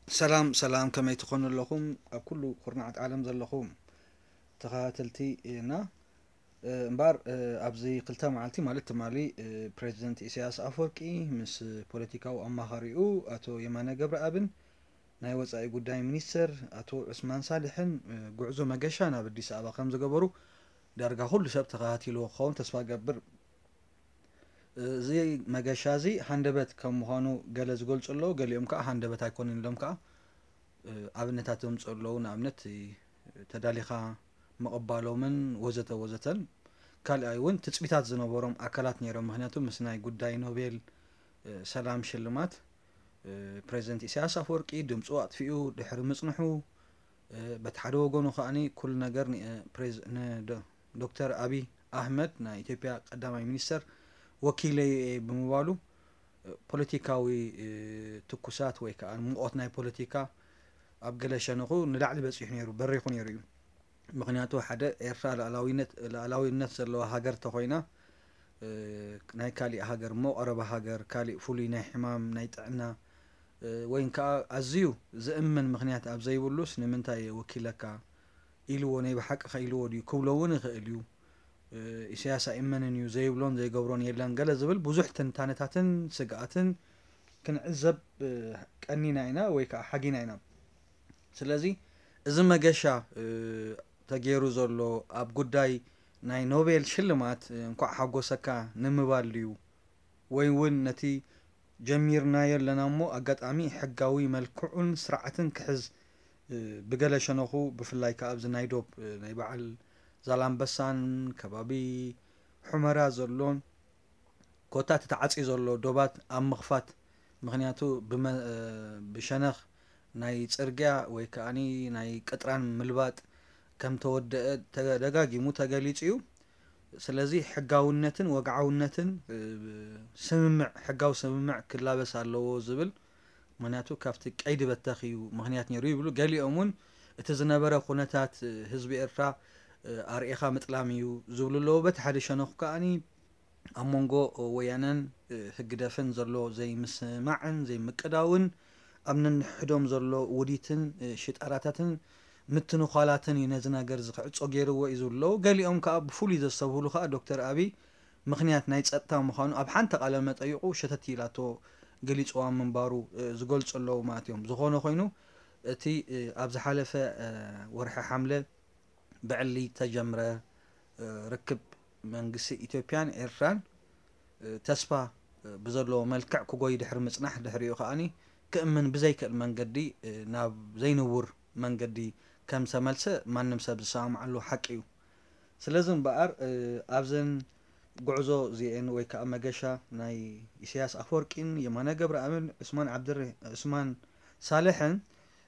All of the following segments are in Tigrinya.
ሰላም ሰላም፣ ከመይ ትኾኑ ኣለኹም? ኣብ ኩሉ ኩርናዓት ዓለም ዘለኹም ተኸታተልቲ እና፣ እ፣ እምበኣር፣ እ፣ ኣብዚ ክልተ መዓልቲ ማለት ትማሊ፣ እ፣ ፕሬዚደንት ኢሳያስ ኣፈወርቂ ምስ ፖለቲካዊ ኣማኻሪኡ ኣቶ የማነ ገብረኣብን ናይ ወጻኢ ጉዳይ ሚኒስተር ኣቶ ዑስማን ሳልሕን፣ እ፣ ጉዕዞ መገሻ ናብ ኣዲስ ኣበባ ከም ዝገበሩ ዳርጋ ኩሉ ሰብ ተኸታቲልዎ ክኸውን ተስፋ ገብር። እዚ መገሻ እዚ ሃንደበት ከም ምዃኑ ገለ ዝገልጹ ኣለዉ፣ ገሊኦም ከኣ ሃንደበት ኣይኮነን ኢሎም ከኣ፣ እ፣ ኣብነታት ዘምጽኡ ኣለዉ። ንኣብነት፣ እ፣ ተዳሊኻ ምቕባሎምን ወዘተ ወዘተን። ካልኣይ እውን ትጽቢታት ዝነበሮም ኣካላት ነይሮም። ምኽንያቱ ምስ ናይ ጉዳይ ኖቤል፣ እ፣ ሰላም ሽልማት፣ እ፣ ፕሬዚደንት ኢሳያስ ኣፈወርቂ ድምጹ ኣጥፊኡ ድሕሪ ምጽንሑ፣ እ፣ በቲ ሓደ ወገኑ ከኣኒ ኩሉ ነገር ን-፣ እ፣ ፕሬዝ-፣ ን-፣ ዶ-፣ ዶክተር ኣቢይ ኣህመድ ናይ ኢትዮጵያ ቀዳማይ ሚኒስተር ወኪለይ እየ ብምባሉ፣ እ፣ ፖለቲካዊ፣ እ፣ ትኩሳት ወይ ከኣ ሙቐት ናይ ፖለቲካ ኣብ ገለ ሸነኹ ንላዕሊ በጺሑ ነይሩ፣ በሪኹ ነይሩ እዩ። ምኽንያቱ ሓደ ኤርትራ ሉዓላዊነት፣ ሉዓላዊነት ዘለዋ ሃገር ተኾይና፣ እ፣ ናይ ካሊእ ሃገር እሞ ቀረባ ሃገር፣ ካሊእ ፍሉይ ናይ ሕማም፣ ናይ ጥዕና፣ እ፣ ወይን ከኣ ኣዝዩ ዝእመን ምኽንያት ኣብ ዘይብሉስ ንምንታይ እየ ወኪለካ ኢልዎ፣ ናይ ብሓቂ ከ ኢልዎ ድዩ ክብሎ እውን ይኽእል እዩ። እ፣ ኢሳያስ ኣይእመንን እዩ፣ ዘይብሎን ዘይገብሮን የለን ገለ ዝብል ብዙሕ ትንታነታትን ስግኣትን ክንዕዘብ፣ እ፣ ቀኒና ኢና ወይ ከኣ ሓጊና ኢና። ስለዚ እዚ መገሻ፣ እ፣ ተገይሩ ዘሎ ኣብ ጉዳይ ናይ ኖቤል ሽልማት፣ እ፣ እንኳዕ ሓጎሰካ ንምባል ድዩ? ወይ እውን ነቲ ጀሚርናዮ ኣለና እሞ ኣጋጣሚ ሕጋዊ መልክዑን ስርዓትን ክሕዝ፣ እ፣ ብገለ ሸነኹ ብፍላይ ከኣ ኣብዚ ናይ ዶብ፣ እ፣ ናይ በዓል ዛላምበሳን ከባቢ ሑመራ ዘሎን ኮታ እቲ ተዓጽዩ ዘሎ ዶባት ኣብ ምኽፋት፣ ምኽንያቱ ብመ-፣ እ፣ ብሸነኽ ናይ ጽርግያ ወይ ከኣኒ ናይ ቅጥራን ምልባጥ ከም ተወደአ ተደጋጊሙ ተገሊጹ እዩ። ስለዚ ሕጋውነትን ወግዓውነትን፣ እ፣ ስምምዕ፣ ሕጋዊ ስምምዕ ክላበስ ኣለዎ ዝብል፣ ምኽንያቱ ካብቲ ቀይዲ በተኽ እዩ ምኽንያት ነይሩ ይብሉ። ገሊኦም እውን እቲ ዝነበረ ኩነታት፣ እ፣ ህዝቢ ኤርትራ፣ እ፣ ኣርኢኻ ምጥላም እዩ ዝብሉ ኣለዉ። በቲ ሓደ ሸነኹ ከኣኒ ኣብ መንጎ ወያነን፣ እ፣ ህግደፍን ዘሎ ዘይምስማዕን ዘይምቅዳውን ኣብ ነንሕዶም ዘሎ ውዲትን፣ እ፣ ሽጣራታትን ምትንዃላትን እዩ ነዚ ነገር እዚ ክዕጾ ገይርዎ እዩ ዝብሉ ኣለዉ። ገሊኦም ከኣ ብፍሉይ ዘስተብህሉ ከኣ ዶክተር ኣቢይ ምኽንያት ናይ ጸጥታ ምዃኑ ኣብ ሓንቲ ቃለ መጠይቑ ሸተት ኢላቶ ገሊጽዋ ምንባሩ፣ እ፣ ዝገልጹ ኣለዉ ማለት እዮም። ዝኾነ ኮይኑ እቲ፣ እ፣ ኣብ ዝሓለፈ፣ እ፣ ወርሒ ሓምለ ብዕሊ ተጀምረ፣ እ፣ ርክብ መንግስቲ ኢትዮጵያን ኤርትራን፣ እ፣ ተስፋ፣ እ፣ ብዘለዎ መልክዕ ክጎይ ድሕሪ ምጽናሕ፣ ድሕሪኡ ከኣኒ ክእምን ብዘይክእል መንገዲ፣ እ፣ ናብ ዘይንውር መንገዲ ከም ዝተመልሰ ማንም ሰብ ዝሰማማዓሉ ሓቂ እዩ። ስለዚ እምበኣር፣ እ፣ ኣብዘን ጉዕዞ እዚኤን ወይ ከኣ መገሻ ናይ ኢሳያስ ኣፈወርቂን የማነ ገብረኣብን ዑስማን ዓብድር-፣ ዑስማን ሳልሕን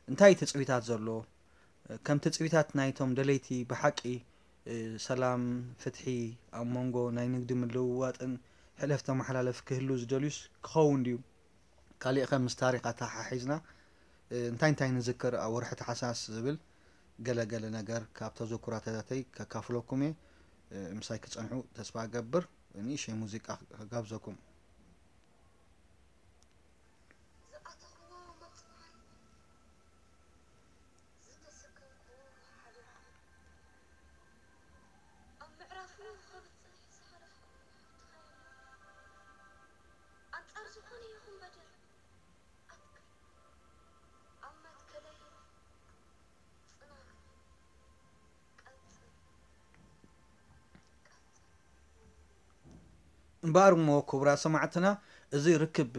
እንታይ ትጽቢታት ዘሎ? ከም ትጽቢታት ናይቶም ደለይቲ ብሓቂ፣ እ፣ ሰላም፣ ፍትሒ፣ ኣብ መንጎ ናይ ንግዲ ምልውዋጥን ሕለፍ ተመሓላለፍ ክህሉ ዝደልዩስ ክኸውን ድዩ? ካሊእ ከ ምስ ታሪኽ ኣተሓሒዝና፣ እ፣ እንታይ እንታይ ንዝክር ኣብ ወርሒ ታሕሳስ ዝብል ገለ ገለ ነገር ካብ ተዘክሮታተይ ከካፍለኩም እየ። እ፣ ምሳይ ክጸንሑ ተስፋ እገብር። ንእሽተይ ሙዚቃ ክጋብዘኩም። ዝኣተኽዎ መጽዋዕን ዝተሰከምክዎ ሓሊፍኩ፣ ኣብ ምዕራፉ ከብጽሕ ዝሓለፍኩ ሓብትኻ የለን። ኣንጻር ዝኾነ ይኹን በደል ኣትክል፣ ኣብ መትከለይ ጽናዕ፣ ቀጽል፣ ቀጽል። እምበኣር እሞ ክቡራት ሰማዕትና፣ እዚ ርክብ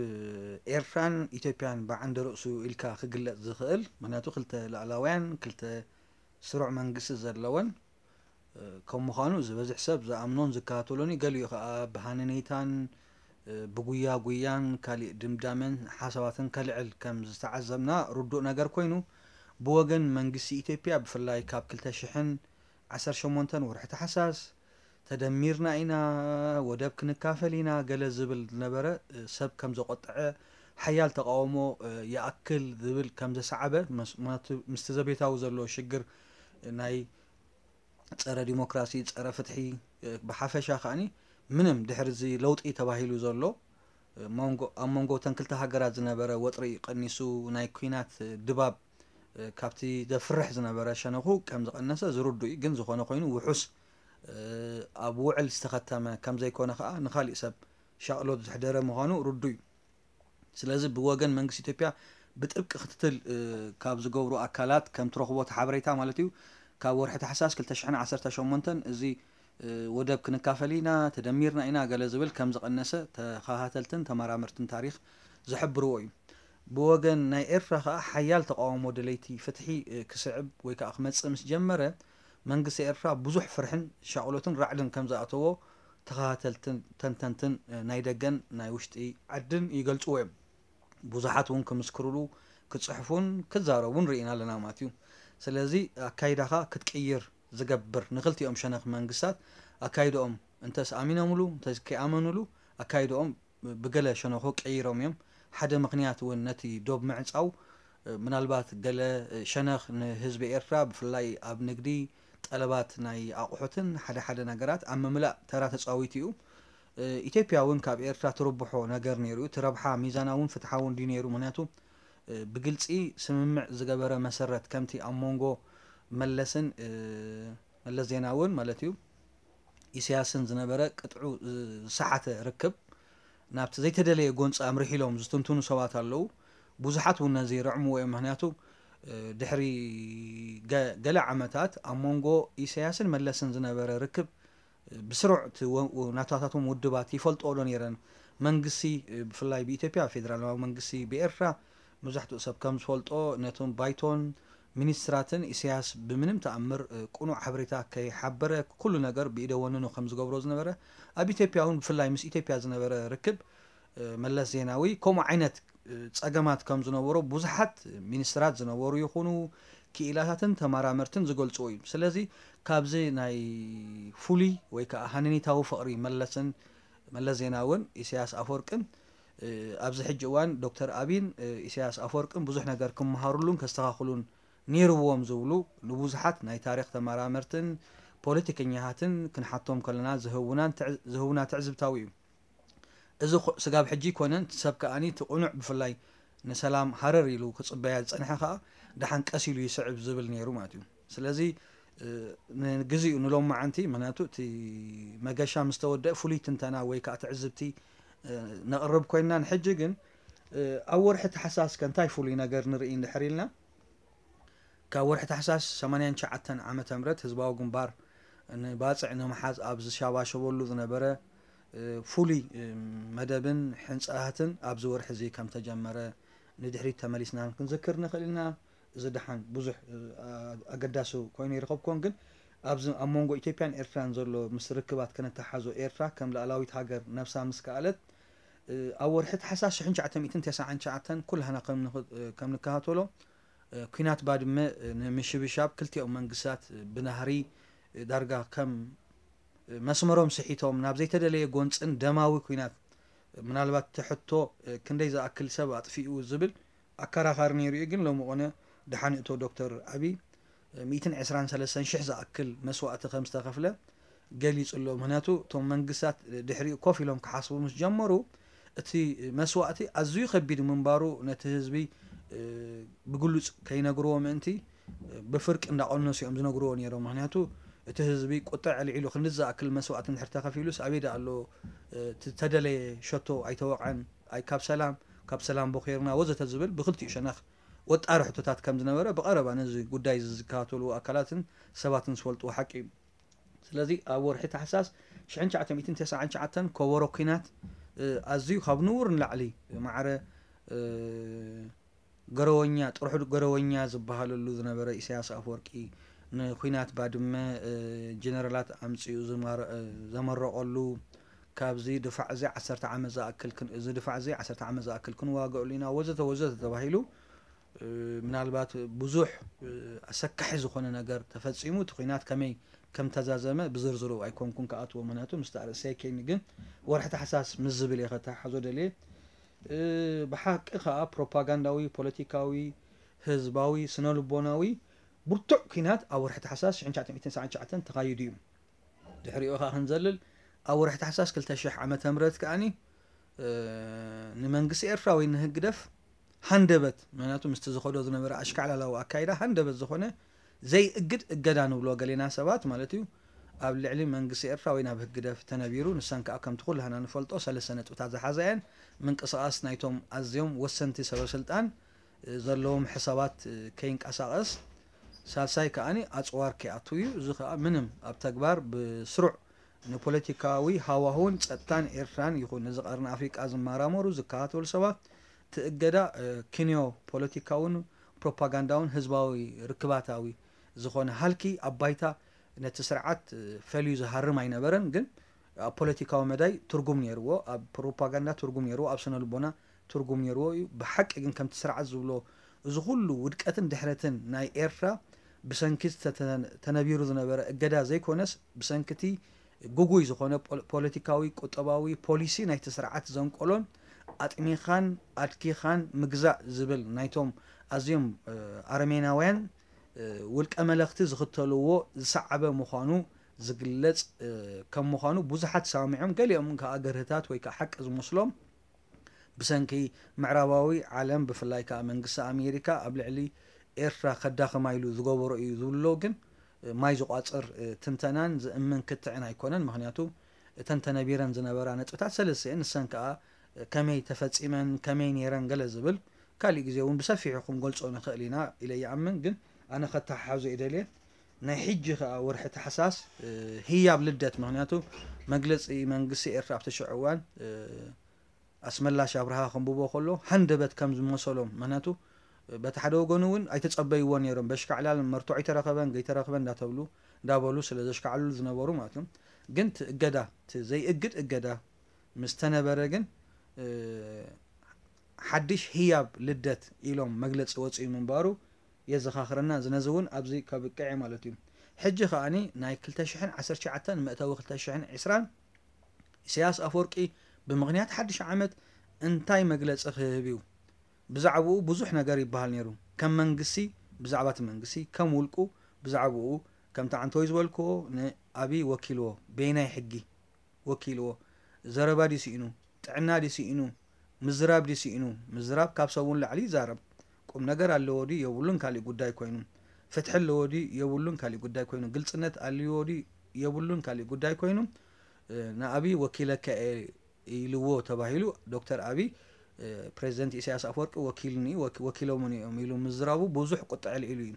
ኤርትራን ኢትዮጵያን ብዓንደ ርእሱ ኢልካ ክግለጽ ዝኽእል፣ ምኽንያቱ ክልተ ላዕላውያን፣ ክልተ ስሩዕ መንግስቲ ዘለወን፣ እ፣ ከም ምዃኑ ዝበዝሕ ሰብ ዝኣምኖን ዝከታተሎን እዩ። ገሊኡ ከኣ ብሃነነይታን፣ እ፣ ብጉያ ጉያን ካሊእ ድምዳመን ሓሳባትን ከልዕል ከም ዝተዓዘብና ርዱእ ነገር ኮይኑ፣ ብወገን መንግስቲ ኢትዮጵያ ብፍላይ ካብ ክልተ ሽሕን ዓሰርተ ሸሞንተን ወርሒ ታሕሳስ ተደሚርና ኢና፣ ወደብ ክንካፈል ኢና ገለ ዝብል ዝነበረ፣ እ፣ ሰብ ከም ዘቖጠዐ፣ ሓያል ተቓውሞ፣ እ፣ ይኣክል ዝብል ከም ዘሰዓበ፣ መስ-፣ ምኽንያቱ ምስቲ ዘቤታዊ ዘሎ ሽግር፣ እ፣ ናይ ጸረ ዲሞክራሲ፣ ጸረ ፍትሒ፣ እ፣ ብሓፈሻ ከኣኒ ምንም ድሕሪ እዚ ለውጢ ተባሂሉ ዘሎ፣ ኣብ መንጎ እተን ክልተ ሃገራት ዝነበረ ወጥሪ ቀኒሱ፣ ናይ ኲናት ድባብ ካብቲ ዘፍርሕ ዝነበረ ሸነኹ ከም ዝቐነሰ ዝርዱ እዩ። ግን ዝኾነ ኮይኑ ውሑስ ኣብ ውዕል ዝተኸተመ ከም ዘይኮነ ከኣ ንኻሊእ ሰብ ሻቕሎት ዘሕደረ ምዃኑ ርዱ እዩ። ስለዚ ብወገን መንግስቲ ኢትዮጵያ ብጥብቂ ክትትል ካብ ዝገብሩ ኣካላት ከም ትረኽቦ እቲ ሓበሬታ ማለት እዩ፣ ካብ ወርሒ ታሕሳስ ክልተ ሽሕን ዓሰርተ ሸሞንተን እዚ ወደብ ክንካፈል ኢና፣ ተደሚርና ኢና ገለ ዝብል ከም ዝቐነሰ ተኸታተልትን ተመራመርትን ታሪኽ ዝሕብርዎ እዩ። ብወገን ናይ ኤርትራ ከኣ ሓያል ተቃውሞ ደለይቲ ፍትሒ ክስዕብ ወይ ከኣ ክመጽእ ምስ ጀመረ መንግስቲ ኤርትራ ብዙሕ ፍርሕን ሻቕሎትን ራዕድን ከም ዝኣተዎ ተኸታተልትን ተንተንትን ናይ ደገን ናይ ውሽጢ ዓድን ይገልጽዎ እዮም። ብዙሓት እውን ክምስክሩሉ ክጽሕፉን ክዛረቡን ርኢና ኣለና ማለት እዩ። ስለዚ ኣካይዳኻ ክትቅይር ዝገብር ንክልቲኦም ሸነኽ መንግስታት ኣካይድኦም እንተስ ኣሚኖምሉ እንተስ ከይኣመኑሉ ኣካይድኦም ብገለ ሸነኹ ቀይሮም እዮም። ሓደ ምኽንያት እውን ነቲ ዶብ ምዕጻው ምናልባት ገለ ሸነኽ ንህዝቢ ኤርትራ ብፍላይ ኣብ ንግዲ ጠለባት ናይ ኣቑሑትን ሓደ ሓደ ነገራት ኣብ ምምላእ ተራ ተጻዊቱ እዩ። ኢትዮጵያ እውን ካብ ኤርትራ ትርብሖ ነገር ነይሩ እዩ። እቲ ረብሓ ሚዛናውን ፍትሓውን ድዩ ነይሩ? ምኽንያቱ ብግልጺ ስምምዕ ዝገበረ መሰረት ከምቲ ኣብ መንጎ መለስን መለስ ዜናውን ማለት እዩ ኢሳያስን ዝነበረ ቅጥዑ ዝሰሓተ ርክብ ናብቲ ዘይተደለየ ጎንፂ ኣምሪሑ ኢሎም ዝትንትኑ ሰባት ኣለዉ። ብዙሓት እውን ነዚ ይርዕምዎ እዮም። ምክንያቱ ድሕሪ ገለ ዓመታት ኣብ መንጎ ኢሳያስን መለስን ዝነበረ ርክብ ብስሩዕ ናታታቶም ውድባት ይፈልጥኦ ዶ ነይረን? መንግስቲ ብፍላይ ብኢትዮጵያ ፌደራላዊ መንግስቲ ብኤርትራ መብዛሕትኡ ሰብ ከም ዝፈልጦ ነቶም ባይቶን ሚኒስትራትን ኢሳያስ ብምንም ተኣምር ቅኑዕ ሓበሬታ ከይሓበረ ኩሉ ነገር ብኢደ ወነኑ ከም ዝገብሮ ዝነበረ ኣብ ኢትዮጵያ እውን ብፍላይ ምስ ኢትዮጵያ ዝነበረ ርክብ መለስ ዜናዊ ከምኡ ዓይነት ጸገማት ከም ዝነበሮ ብዙሓት ሚኒስትራት ዝነበሩ ይኹኑ ክኢላታትን ተመራመርትን ዝገልጽዎ እዩ። ስለዚ ካብዚ ናይ ፍሉይ ወይ ከዓ ሃነኒታዊ ፍቕሪ መለስን መለስ ዜናውን ኢሳያስ ኣፈወርቅን ኣብዚ ሕጂ እዋን ዶክተር ኣቢን ኢሳያስ ኣፈወርቅን ብዙሕ ነገር ክመሃሩሉን ከስተኻኽሉን ነይርዎም ዝብሉ ንብዙሓት ናይ ታሪኽ ተመራመርትን ፖለቲከኛታትን ክንሓቶም ከለና ዝህቡና ትዕዝብታዊ እዩ። እዚ ስጋብ ሕጂ ይኮነን ሰብ ከኣኒ እቲ ቁኑዕ ብፍላይ ንሰላም ሃረር ኢሉ ክፅበያ ዝፀንሐ ከዓ ደሓን ቀስ ኢሉ ይስዕብ ዝብል ነይሩ ማለት እዩ። ስለዚ ንግዚኡ ንሎማዓንቲ ምክንያቱ እቲ መገሻ ምስ ተወደአ ፍሉይ ትንተና ወይ ከዓ ትዕዝብቲ ነቕርብ ኮይንና ንሕጂ ግን ኣብ ወርሒ ተሓሳስ ከ እንታይ ፍሉይ ነገር ንርኢ እንድሕር ኢልና ካብ ወርሒ ታሕሳስ ሰማንያን ትሽዓተን ዓመተ ምህረት ህዝባዊ ግንባር ንባጽዕ ንምሓዝ ኣብ ዝሻባሸበሉ ዝነበረ ፍሉይ መደብን ሕንጻታትን ኣብዚ ወርሒ እዚ ከም ተጀመረ ንድሕሪት ተመሊስና ክንዝክር ንኽእል ኢና። እዚ ደሓን ብዙሕ ኣገዳሲ ኮይኑ ይረኸብኩዎን ግን ኣብዚ ኣብ መንጎ ኢትዮጵያን ኤርትራን ዘሎ ምስ ርክባት ከነተሓዞ ኤርትራ ከም ላዕላዊት ሃገር ነብሳ ምስ ከኣለት ኣብ ወርሒ ታሕሳስ ሽሕን ትሽዓተ ሚእትን ተስዓን ትሽዓተን ኩላህና ከም ንከታተሎ ኲናት ባድመ ንምሽብሻብ ክልቲኦም መንግስታት ብናህሪ ዳርጋ ከም መስመሮም ስሒቶም ናብ ዘይተደለየ ጎንፅን ደማዊ ኲናት ምናልባት እቲ ሕቶ ክንደይ ዝኣክል ሰብ ኣጥፊኡ ዝብል ኣከራኻሪ ነይሩ እዩ። ግን ሎሚ ቆነ ደሓን እቶ ዶክተር ኣብይ ሚእትን ዕስራን ሰለስተን ሽሕ ዝኣክል መስዋእቲ ከም ዝተኸፍለ ገሊጹ ኣሎ። ምክንያቱ እቶም መንግስታት ድሕሪኡ ኮፍ ኢሎም ክሓስቡ ምስ ጀመሩ እቲ መስዋእቲ ኣዝዩ ከቢድ ምንባሩ ነቲ ህዝቢ ብግሉጽ ከይነግርዎ ምእንቲ ብፍርቂ እንዳቐነሱ እዮም ዝነግርዎ ነይሮም። ምክንያቱ እቲ ህዝቢ ቁጥዕ ኣልዒሉ ክንዲ ዝኣክል መስዋእቲ እንድሕር ተኸፊሉስ ኣበይ ደኣ ኣሎ እቲ ተደለየ ሸቶ ኣይተወቕዐን ኣይ ካብ ሰላም ካብ ሰላም ቦኼርና ወዘተ ዝብል ብክልቲኡ ሸነኽ ወጣሪ ሕቶታት ከም ዝነበረ ብቐረባ ነዚ ጉዳይ እዚ ዝከታተሉ ኣካላትን ሰባትን ዝፈልጥዎ ሓቂ እዩ። ስለዚ ኣብ ወርሒ ታሕሳስ ሽሕን ትሽዓተ ሚእትን ተስዓን ትሽዓተን ከበሮ ኲናት ኣዝዩ ካብ ንቡር ንላዕሊ ማዕረ ገረወኛ ጥርሑ ገረወኛ ዝበሃለሉ ዝነበረ ኢሳያስ ኣፈወርቂ ንኲናት ባድመ ጀነራላት ኣምጺኡ ዘመረቐሉ ካብዚ ድፋዕ እዚ ዓሰርተ ዓመት ዝኣክል እዚ ድፋዕ እዚ ዓሰርተ ዓመት ዝኣክል ክንዋገእሉ ኢና ወዘተ ወዘተ ተባሂሉ ምናልባት ብዙሕ ኣሰካሒ ዝኾነ ነገር ተፈጺሙ እቲ ኲናት ከመይ ከም ተዛዘመ ብዝርዝሩ ኣይኮንኩን ክኣትዎ ምክንያቱ ምስቲ ኣርእስቲ ኣይከይኒ ግን ወርሒ ታሕሳስ ምስ ዝብል እየ ከተሓሓዞ ደልየ ብሓቂ ከዓ ፕሮፓጋንዳዊ ፖለቲካዊ ህዝባዊ ስነልቦናዊ ብርቱዕ ኲናት ኣብ ወርሒ ታሕሳስ ሽሕን ትሽዓተ ሚእትን ሰዓን ትሽዓተን ተኻይዱ እዩ። ድሕሪኡ ከዓ ክንዘልል ኣብ ወርሒ ታሕሳስ ክልተ ሽሕ ዓመተ ምህረት ከዓኒ ንመንግስቲ ኤርትራ ወይ ንህግደፍ ሃንደበት፣ ምክንያቱ ምስቲ ዝኸዶ ዝነበረ ኣሽካዕላላዊ ኣካይዳ ሃንደበት ዝኾነ ዘይእግድ እገዳ ንብሎ ገሌና ሰባት ማለት እዩ፣ ኣብ ልዕሊ መንግስቲ ኤርትራ ወይ ናብ ህግደፍ ተነቢሩ። ንሰን ከኣ ከምቲ ኩላህና ንፈልጦ ሰለስተ ነጥብታት ዝሓዛ እየን። ምንቅስቓስ ናይቶም ኣዝዮም ወሰንቲ ሰበስልጣን ዘለዎም ሕሳባት ከይንቀሳቐስ፣ ሳልሳይ ከኣ ኣጽዋር ከይኣቱ እዩ። እዚ ከኣ ምንም ኣብ ተግባር ብስሩዕ ንፖለቲካዊ ሃዋህውን ጸጥታን ኤርትራን ይኹን ነዚ ቀርኒ ኣፍሪቃ ዝመራመሩ ዝከታተሉ ሰባት፣ እቲ እገዳ ክንዮ ፖለቲካውን ፕሮፓጋንዳውን ህዝባዊ ርክባታዊ ዝኾነ ሃልኪ ኣብ ባይታ ነቲ ስርዓት ፈልዩ ዝሃርም ኣይነበረን። ግን ኣብ ፖለቲካዊ መዳይ ትርጉም ነይርዎ፣ ኣብ ፕሮፓጋንዳ ትርጉም ነይርዎ፣ ኣብ ስነ ልቦና ትርጉም ነይርዎ እዩ። ብሓቂ ግን ከምቲ ስርዓት ዝብሎ እዚ ኩሉ ውድቀትን ድሕረትን ናይ ኤርትራ ብሰንኪ ዝተተ- ተነቢሩ ዝነበረ እገዳ ዘይኮነስ ብሰንኪቲ ግጉይ ዝኾነ ፖል- ፖለቲካዊ ቁጠባዊ ፖሊሲ ናይቲ ስርዓት ዘንቆሎን ኣጥኒኻን ኣድኪኻን ምግዛእ ዝብል ናይቶም ኣዝዮም ኣረሜናውያን ውልቀ መለኽቲ ዝኽተልዎ ዝሰዓበ ምዃኑ ዝግለጽ ከም ምዃኑ ብዙሓት ሰማሚዖም፣ ገሊኦም ከኣ ገርህታት ወይ ከኣ ሓቂ ዝመስሎም ብሰንኪ ምዕራባዊ ዓለም ብፍላይ ከኣ መንግስቲ ኣሜሪካ ኣብ ልዕሊ ኤርትራ ከዳኽማ ኢሉ ዝገበሮ እዩ ዝብሎ ግን ማይ ዝቋጽር ትንተናን ዝእምን ክትዕን ኣይኮነን። ምኽንያቱ እተን ተነቢረን ዝነበራ ነጥብታት ሰለስተ እየን። ንሰን ከኣ ከመይ ተፈጺመን ከመይ ነይረን ገለ ዝብል ካሊእ ግዜ እውን ብሰፊሑ ክንገልጾ ንኽእል ኢና ኢለ ይኣምን። ግን ኣነ ከተሓሓዞ እየ ደልየ። ናይ ሕጂ ከኣ ወርሒ ታሕሳስ ህያብ ልደት፣ ምኽንያቱ መግለጺ መንግስቲ ኤርትራ ኣብቲ ሽዑ እዋን ኣስመላሽ ኣብርሃ ከንብቦ ከሎ ሃንደበት ከም ዝመሰሎም፣ ምክንያቱ በቲ ሓደ ወገኑ እውን ኣይተጸበይዎ ነይሮም። በሽካዕላል መርትዖ ኣይተረኸበን ገይተረኽበን እንዳተብሉ እንዳበሉ ስለ ዘሽካዕሉ ዝነበሩ ማለት እዮም። ግን እቲ እገዳ እቲ ዘይእግድ እገዳ ምስ ተነበረ ግን ሓድሽ ህያብ ልደት ኢሎም መግለጺ ወጽኡ ምንባሩ የዘኻኽረና። እዚ ነዚ እውን ኣብዚ ከብቅዕ ማለት እዩ። ሕጂ ከኣኒ ናይ ክልተ ሽሕን ዓሰርተ ትሽዓተን መእተዊ ክልተ ሽሕን ዕስራን ኢሳያስ ኣፈወርቂ ብምኽንያት ሓድሽ ዓመት እንታይ መግለጺ ክህብ እዩ? ብዛዕባኡ ብዙሕ ነገር ይበሃል ነይሩ። ከም መንግስቲ ብዛዕባ እቲ መንግስቲ፣ ከም ውልቁ ብዛዕባኡ ከምቲ ዓንተወይ ዝበልክዎ ንኣብይ ወኪልዎ። በየናይ ሕጊ ወኪልዎ? ዘረባ ድዩ ስኢኑ? ጥዕና ድዩ ስኢኑ? ምዝራብ ድዩ ስኢኑ? ምዝራብ ካብ ሰቡ ንላዕሊ ይዛረብ። ቁም ነገር ኣለዎ ድዩ የብሉን ካሊእ ጉዳይ ኮይኑ። ፍትሒ ኣለዎ ድዩ የብሉን ካሊእ ጉዳይ ኮይኑ። ግልጽነት ኣልዎ ድዩ የብሉን ካሊእ ጉዳይ ኮይኑ። ንኣብይ ወኪለካ እየ ኢልዎ ተባሂሉ ዶክተር ኣብይ ፕሬዚደንት ኢሳያስ ኣፈወርቂ ወኪልኒ ወኪሎምኒ እዮም ኢሉ ምዝራቡ ብዙሕ ቁጥዐ ኣልዒሉ እዩ።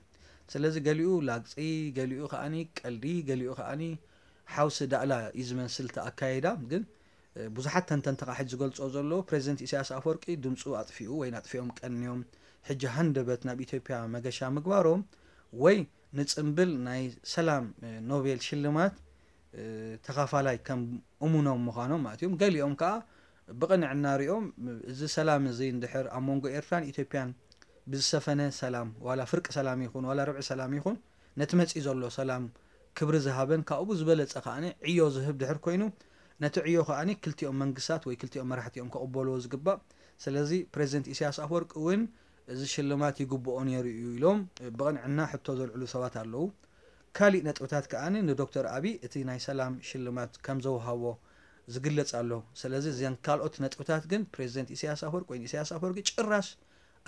ስለዚ ገሊኡ ላግፂ፣ ገሊኡ ከዓኒ ቀልዲ፣ ገሊኡ ከዓኒ ሓውሲ ዳእላ እዩ ዝመስል እቲ ኣካይዳ። ግን ብዙሓት ተንተንቲ ከዓ ሕጂ ዝገልፅኦ ዘለዉ ፕሬዚደንት ኢሳያስ ኣፈወርቂ ድምፁ ኣጥፊኡ ወይ ኣጥፊኦም ቀንዮም ሕጂ ሃንደበት ናብ ኢትዮጵያ መገሻ ምግባሮም ወይ ንፅምብል ናይ ሰላም ኖቤል ሽልማት ተኻፋላይ ከም እሙኖም ምዃኖም ማለት እዮም። ገሊኦም ከዓ ብቕንዕና ሪኦም እዚ ሰላም እዚ እንድሕር ኣብ መንጎ ኤርትራን ኢትዮጵያን ብዝሰፈነ ሰላም ዋላ ፍርቂ ሰላም ይኹን ዋላ ርብዒ ሰላም ይኹን ነቲ መፂኡ ዘሎ ሰላም ክብሪ ዝሃበን ካብኡ ዝበለፀ ከዓ ዕዮ ዝህብ ድሕር ኮይኑ ነቲ ዕዮ ከዓ ክልቲኦም መንግስታት ወይ ክልቲኦም መራሕቲ እዮም ከቕበልዎ ዝግባእ። ስለዚ ፕሬዚደንት ኢሳያስ ኣፈወርቂ እውን እዚ ሽልማት ይግብኦ ነይሩ እዩ ኢሎም ብቕንዕና ሕቶ ዘልዕሉ ሰባት ኣለዉ። ካሊእ ነጥብታት ከኣ ንዶክተር ኣብይ እቲ ናይ ሰላም ሽልማት ከም ዘውሃቦ ዝግለጽ ኣሎ። ስለዚ እዘን ካልኦት ነጥብታት ግን ፕሬዚደንት ኢሳያስ ኣፈወርቂ ወይ ኢሳያስ ኣፈወርቂ ጭራሽ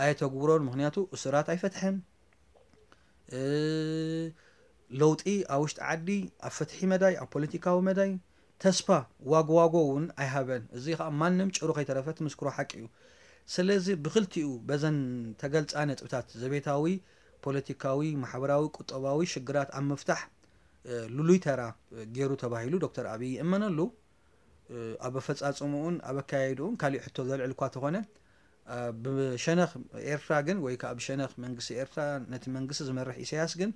ኣየተግብሮን። ምኽንያቱ እሱራት ኣይፈትሐን። ለውጢ ኣብ ውሽጢ ዓዲ ኣብ ፍትሒ መዳይ ኣብ ፖለቲካዊ መዳይ ተስፋ ዋጎ ዋጎ እውን ኣይሃበን። እዚ ከዓ ማንም ጭሩ ከይተረፈ ትምስክሮ ሓቂ እዩ። ስለዚ ብክልቲኡ በዘን ተገልፃ ነጥብታት ዘቤታዊ፣ ፖለቲካዊ፣ ማሕበራዊ፣ ቁጠባዊ ሽግራት ኣብ ምፍታሕ ልሉይ ተራ ገይሩ ተባሂሉ ዶክተር ኣብይ ይእመነሉ። ኣብ ኣፈፃፅምኡን ኣብ ኣካያይድኡን ካሊእ ሕቶ ዘልዕል እኳ ተኾነ ብሸነኽ ኤርትራ ግን ወይ ከዓ ብሸነኽ መንግስቲ ኤርትራ ነቲ መንግስቲ ዝመርሕ ኢሳያስ ግን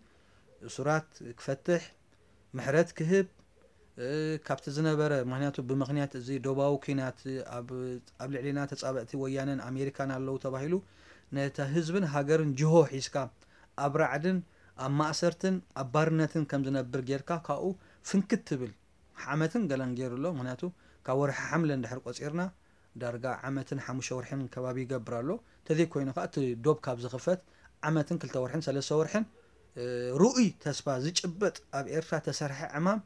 እሱራት ክፈትሕ ምሕረት ክህብ ካብቲ ዝነበረ ምክንያቱ ብምክንያት እዚ ዶባዊ ኩናት ኣብ ልዕሊና ተፃበእቲ ወያነን ኣሜሪካን ኣለዉ ተባሂሉ ነቲ ህዝብን ሃገርን ጅሆ ሒዝካ ኣብ ራዕድን ኣብ ማእሰርትን ኣብ ባርነትን ከም ዝነብር ጌርካ ካብኡ ፍንክት ትብል ዓመትን ገለን ገይሩ ኣሎ። ምክንያቱ ካብ ወርሒ ሓምለ እንድሕር ቆፂርና ዳርጋ ዓመትን ሓሙሽተ ወርሕን ከባቢ ይገብር ኣሎ። ተዘይኮይኑ ከዓ እቲ ዶብ ካብ ዝኽፈት ዓመትን ክልተ ወርሕን ሰለስተ ወርሕን ርኡይ ተስፋ ዝጭበጥ ኣብ ኤርትራ ተሰርሐ ዕማም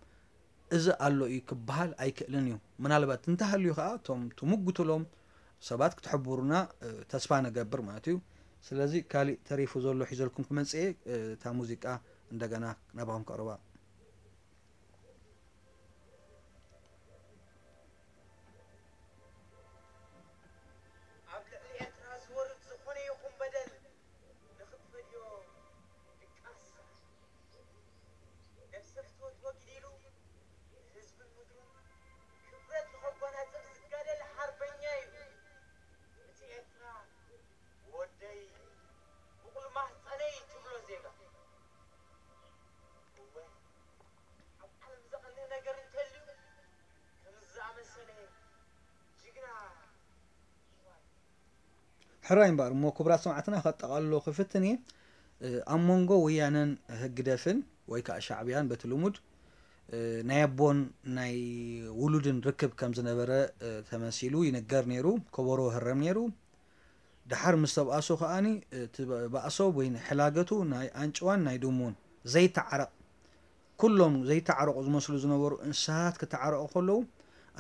እዚ ኣሎ እዩ ክበሃል ኣይክእልን እዩ። ምናልባት እንተሃልዩ ከዓ እቶም ትምጉትሎም ሰባት ክትሕብሩና ተስፋ ንገብር ማለት እዩ። ስለዚ ካሊእ ተሪፉ ዘሎ ሒዘልኩም ክመፅእ እየ። እታ ሙዚቃ እንደገና ናባኹም ከቕርባ። ኣብ ልዕሊ ኤርትራ ዝወርድ ዝኾነ ይኹን በደል ንኽትፈድዮ ድቃስ ነብሰ ፍትወት ወጊድ ኢሉ ህዝብን ምድሩን ክብረት ንኸጓናጽፍ ዝጋደል ሓርበኛ እዩ። እቲ ኤርትራ ወደይ፣ ብቑል ማህጸነይ ትብሎ ዜጋ። እወ፣ ኣብ ዓለም ዘቐንእ ነገር እንተልዩ፣ ከምዚ ዝኣመሰለ ጅግና ሕራይ እምበኣር እሞ፣ ክቡራት ሰማዕትና፣ ከጠቓልሎ ክፍትን እየ። ኣብ መንጎ ወያነን ህግደፍን ወይ ከዓ ሻዕብያን በቲ ልሙድ ናይ ኣቦን ናይ ውሉድን ርክብ ከም ዝነበረ ተመሲሉ ይንገር ነይሩ። ከበሮ ይህረም ነይሩ። ደሓር ምስ ተባእሱ ከኣኒ እቲ ባእሶ ወይ ሕላገቱ ናይ ኣንጭዋን ናይ ድሙን ዘይተዓረቕ፣ ኩሎም ዘይተዓረቑ ዝመስሉ ዝነበሩ እንስሳት ክተዓረቑ ከለዉ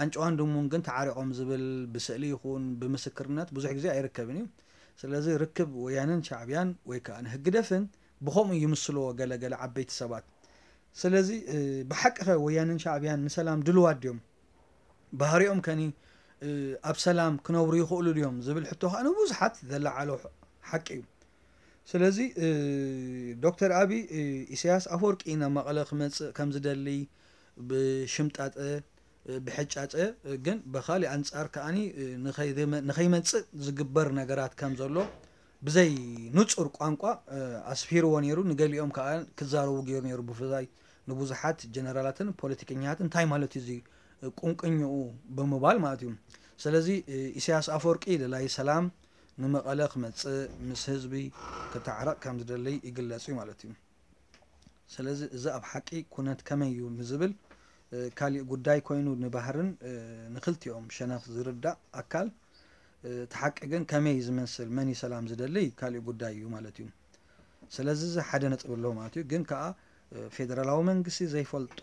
ኣንጭዋን ድሙን ግን ተዓሪቖም ዝብል ብስእሊ ይኹን ብምስክርነት ብዙሕ ግዜ ኣይርከብን እዩ። ስለዚ ርክብ ወያነን ሻዕብያን ወይ ከዓ ንህግደፍን ብኸምኡ ይምስልዎ ገለ ገለ ዓበይቲ ሰባት። ስለዚ ብሓቂ ኸ ወያነን ሻዕብያን ንሰላም ድልዋት ድዮም? ባህሪኦም ከኒ ኣብ ሰላም ክነብሩ ይኽእሉ ድዮም ዝብል ሕቶ ከዓ ንብዙሓት ዘለዓሎ ሓቂ እዩ። ስለዚ ዶክተር ኣብይ ኢሳያስ ኣፈወርቂ ናብ መቐለ ክመፅእ ከም ዝደሊ ብሽምጣጠ ብሕጫጨ ግን ብኻሊእ ኣንፃር ከዓኒ ንኸይመፅእ ዝግበር ነገራት ከም ዘሎ ብዘይ ንፁር ቋንቋ ኣስፊርዎ ነይሩ። ንገሊኦም ከዓ ክዛረቡ ገይሩ ነይሩ። ብፍላይ ንብዙሓት ጀነራላትን ፖለቲከኛታትን እንታይ ማለት እዩ እዚ ቁንቅኝኡ ብምባል ማለት እዩ። ስለዚ ኢሳያስ ኣፈወርቂ ደላይ ሰላም ንመቐለ ክመፅእ ምስ ህዝቢ ክተዓረቕ ከም ዝደሊ ይግለፅ እዩ ማለት እዩ። ስለዚ እዚ ኣብ ሓቂ ኩነት ከመይ እዩ ንዝብል ካሊእ ጉዳይ ኮይኑ ንባህርን ንክልቲኦም ሸነኽ ዝርዳእ ኣካል እቲ ሓቂ ግን ከመይ ዝመስል መን እዩ ሰላም ዝደሊ ካሊእ ጉዳይ እዩ ማለት እዩ። ስለዚ እዚ ሓደ ነጥቢ ኣሎ ማለት እዩ። ግን ከዓ ፌደራላዊ መንግስቲ ዘይፈልጦ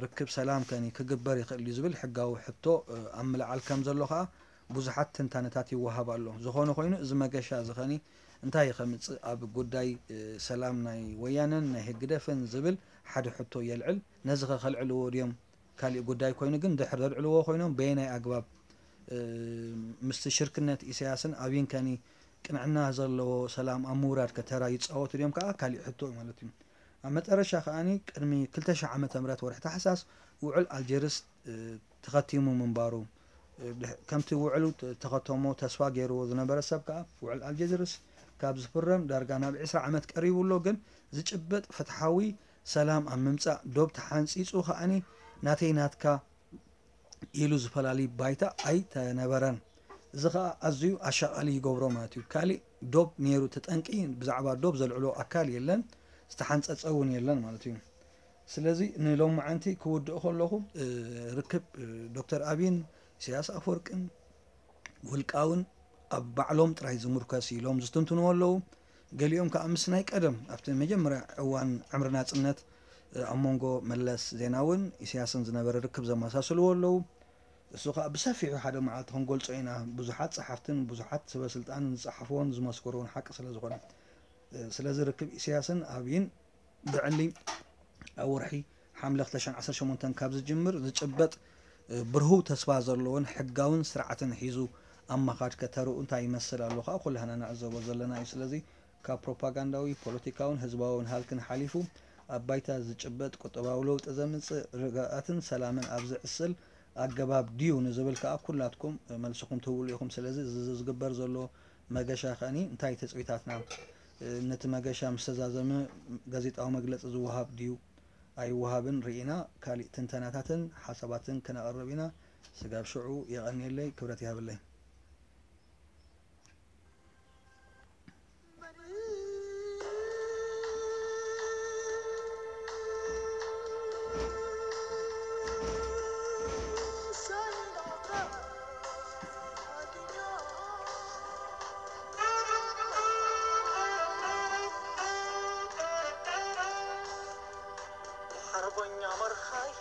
ርክብ ሰላም ከኒ ክግበር ይኽእል እዩ ዝብል ሕጋዊ ሕቶ ኣብ ምልዓል ከም ዘሎ ከዓ ብዙሓት ትንታነታት ይወሃብ ኣሎ። ዝኾነ ኮይኑ እዚ መገሻ እዚ ኸኒ እንታይ ከምፅእ ኣብ ጉዳይ ሰላም ናይ ወያነን ናይ ህግደፍን ዝብል ሓደ ሕቶ የልዕል። ነዚ ኸ ከልዕልዎ ድዮም ካሊእ ጉዳይ ኮይኑ ግን ድሕር ዘልዕልዎ ኮይኖም በየናይ ኣግባብ ምስቲ ሽርክነት ኢሳያስን ኣብይን ከኒ ቅንዕና ዘለዎ ሰላም ኣብ ምውራድ ከተራ ይፃወቱ ድዮም ከዓ ካሊእ ሕቶ እዩ ማለት እዩ። ኣብ መጠረሻ ከዓኒ ቅድሚ ክልተ ሺሕ ዓመተ ምህረት ወርሒ ታሕሳስ ውዕል ኣልጀርስ ተኸቲሙ ምንባሩ ከምቲ ውዕሉ ተኸተሞ ተስፋ ገይርዎ ዝነበረ ሰብ ከዓ ውዕል ኣልጀርስ ካብ ዝፍረም ዳርጋ ናብ ዕስራ ዓመት ቀሪቡ ኣሎ። ግን ዝጭበጥ ፍትሓዊ ሰላም ኣብ ምምፃእ ዶብ ተሓንፂፁ ከዓኒ ናተይ ናትካ ኢሉ ዝፈላሊ ባይታ ኣይተነበረን። እዚ ከዓ ኣዝዩ ኣሻቓሊ ይገብሮ ማለት እዩ። ካሊእ ዶብ ነይሩ ተጠንቂ ብዛዕባ ዶብ ዘልዕሎ ኣካል የለን፣ ዝተሓንፀፀ እውን የለን ማለት እዩ። ስለዚ ንሎማዓንቲ ክውድእ ከለኹ ርክብ ዶክተር ኣብይን ኢሳያስ ኣፈወርቅን ውልቃውን ኣብ ባዕሎም ጥራይ ዝምርከስ ኢሎም ዝትንትንዎ ኣለዉ። ገሊኦም ከዓ ምስ ናይ ቀደም ኣብቲ መጀመርያ እዋን ዕምሪ ናፅነት ኣብ መንጎ መለስ ዜናውን ኢሳያስን ዝነበረ ርክብ ዘመሳስልዎ ኣለዉ። እሱ ከዓ ብሰፊሑ ሓደ መዓልቲ ክንገልጾ ኢና። ብዙሓት ጸሓፍትን ብዙሓት ሰበ ስልጣንን ዝጸሓፍዎን ዝመስከርዎን ሓቂ ስለ ዝኾነ። ስለዚ ርክብ ኢሳያስን ኣብይን ብዕሊ ኣብ ወርሒ ሓምለ ክልተ ሽሕን ዓሰርተ ሸሞንተን ካብ ዝጅምር ዝጭበጥ ብርሁው ተስፋ ዘለዎን ሕጋውን ስርዓትን ሒዙ ኣብ ምኻድ ከተርኡ እንታይ ይመስል ኣሎ ከዓ ኩላህና ንዕዘቦ ዘለና እዩ። ስለዚ ካብ ፕሮፓጋንዳዊ፣ ፖለቲካውን ህዝባውን ሃልክን ሓሊፉ ኣብ ባይታ ዝጭበጥ ቁጠባዊ ለውጢ ዘምጽእ ርግኣትን ሰላምን ኣብ ዝዕስል ኣገባብ ድዩ ንዝብል ከዓ ኩላትኩም መልስኹም ትህብሉ ኢኹም። ስለዚ እዚ ዝግበር ዘሎ መገሻ ከኒ እንታይ ትጽቢታትና ነቲ መገሻ ምስ ተዛዘመ ጋዜጣዊ መግለጺ ዝወሃብ ድዩ ኣይወሃብን ርኢና ካሊእ ትንተናታትን ሓሳባትን ክነቕርብ ኢና። ስጋብ ሽዑ የቐንየለይ፣ ክብረት ይሃበለይ። ሓርበኛ መርኻይ